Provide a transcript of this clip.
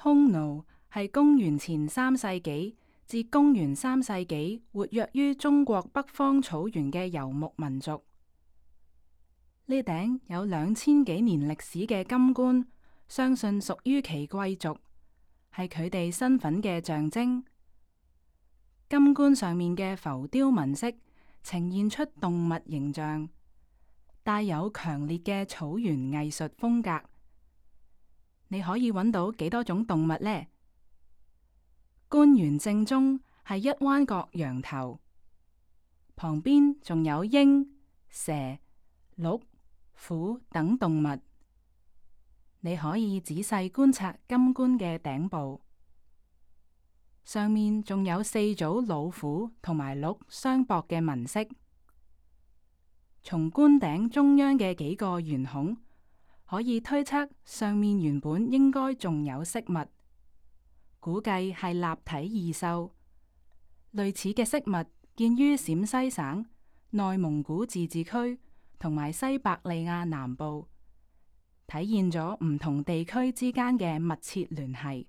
匈奴係公元前3世紀至公元3世紀活躍於中國北方草原嘅游牧民族。呢頂有2000幾年歷史嘅金冠，相信屬於其貴族，係佢哋身份嘅象徵。金冠上面嘅浮雕紋飾呈現出動物形象，帶有強烈嘅草原藝術風格。你可以揾到幾多種動物呢？冠元正中係一彎角羊頭，旁邊仲有鷹、蛇、鹿、虎等動物。你可以仔細觀察金冠嘅頂部，上面仲有4組老虎同埋鹿相駁嘅紋飾。從冠頂中央嘅幾個圓孔，可以推測上面原本應該仲有飾物，估計係立體異獸。類似嘅飾物見於陝西省、內蒙古自治區同埋西伯利亞南部，體現咗唔同地區之間嘅密切聯繫。